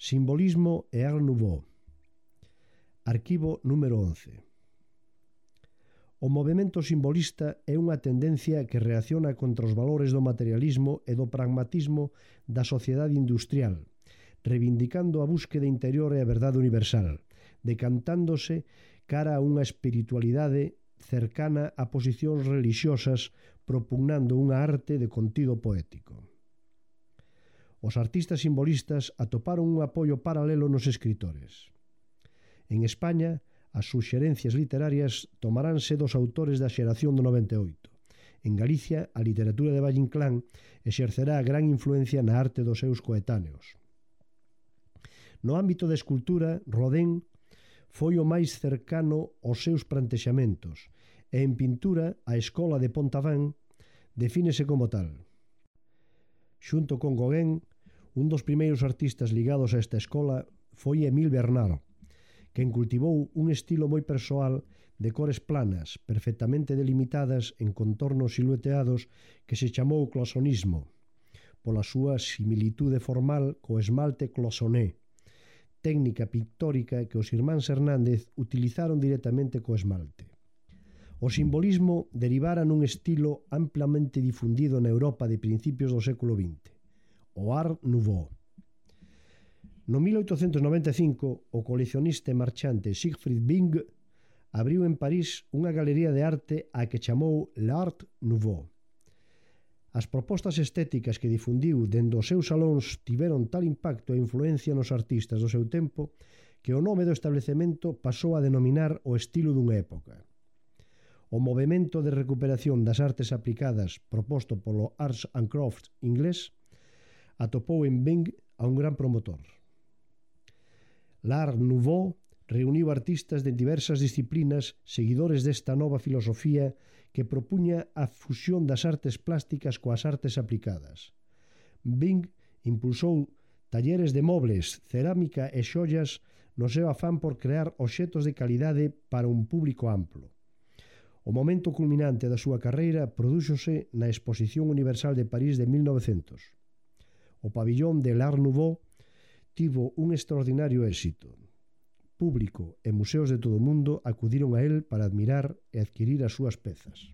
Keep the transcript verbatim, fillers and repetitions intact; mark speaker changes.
Speaker 1: Simbolismo e Art Nouveau. Arquivo número once. O movemento simbolista é unha tendencia que reacciona contra os valores do materialismo e do pragmatismo da sociedade industrial, reivindicando a búsqueda interior e a verdade universal, decantándose cara a unha espiritualidade cercana a posicións religiosas, propugnando unha arte de contido poético. Os artistas simbolistas atoparon un apoio paralelo nos escritores. En España, as suxerencias literarias tomaránse dos autores da xeración do noventa e oito. En Galicia, a literatura de Valle Inclán exercerá gran influencia na arte dos seus coetáneos. No ámbito da escultura, Rodin foi o máis cercano aos seus plantexamentos e en pintura a escola de Pontaván defínese como tal. Xunto con Gauguin, un dos primeiros artistas ligados a esta escola foi Émile Bernard, quen cultivou un estilo moi persoal de cores planas, perfectamente delimitadas en contornos silueteados que se chamou cloisonnismo, pola súa similitude formal co esmalte cloisonné, técnica pictórica que os irmáns Hernández utilizaron directamente co esmalte. O simbolismo derivara nun estilo amplamente difundido na Europa de principios do século vinte, o Art Nouveau. No mil oitocentos noventa e cinco, o coleccionista e marchante Siegfried Bing abriu en París unha galería de arte a que chamou l'Art Nouveau. As propostas estéticas que difundiu dende os seus salóns tiveron tal impacto e influencia nos artistas do seu tempo que o nome do establecemento pasou a denominar o estilo dunha época. O movemento de recuperación das artes aplicadas proposto polo Arts and Crafts inglés atopou en Bing a un gran promotor. L'Art Nouveau reuniu artistas de diversas disciplinas seguidores desta nova filosofía que propuña a fusión das artes plásticas coas artes aplicadas. Bing impulsou talleres de mobles, cerámica e xollas no seu afán por crear obxetos de calidade para un público amplo. O momento culminante da súa carreira prodúxose na Exposición Universal de París de mil novecentos. O pabillón de l'Art Nouveau tivo un extraordinario éxito. Público e museos de todo o mundo acudiron a él para admirar e adquirir as súas pezas.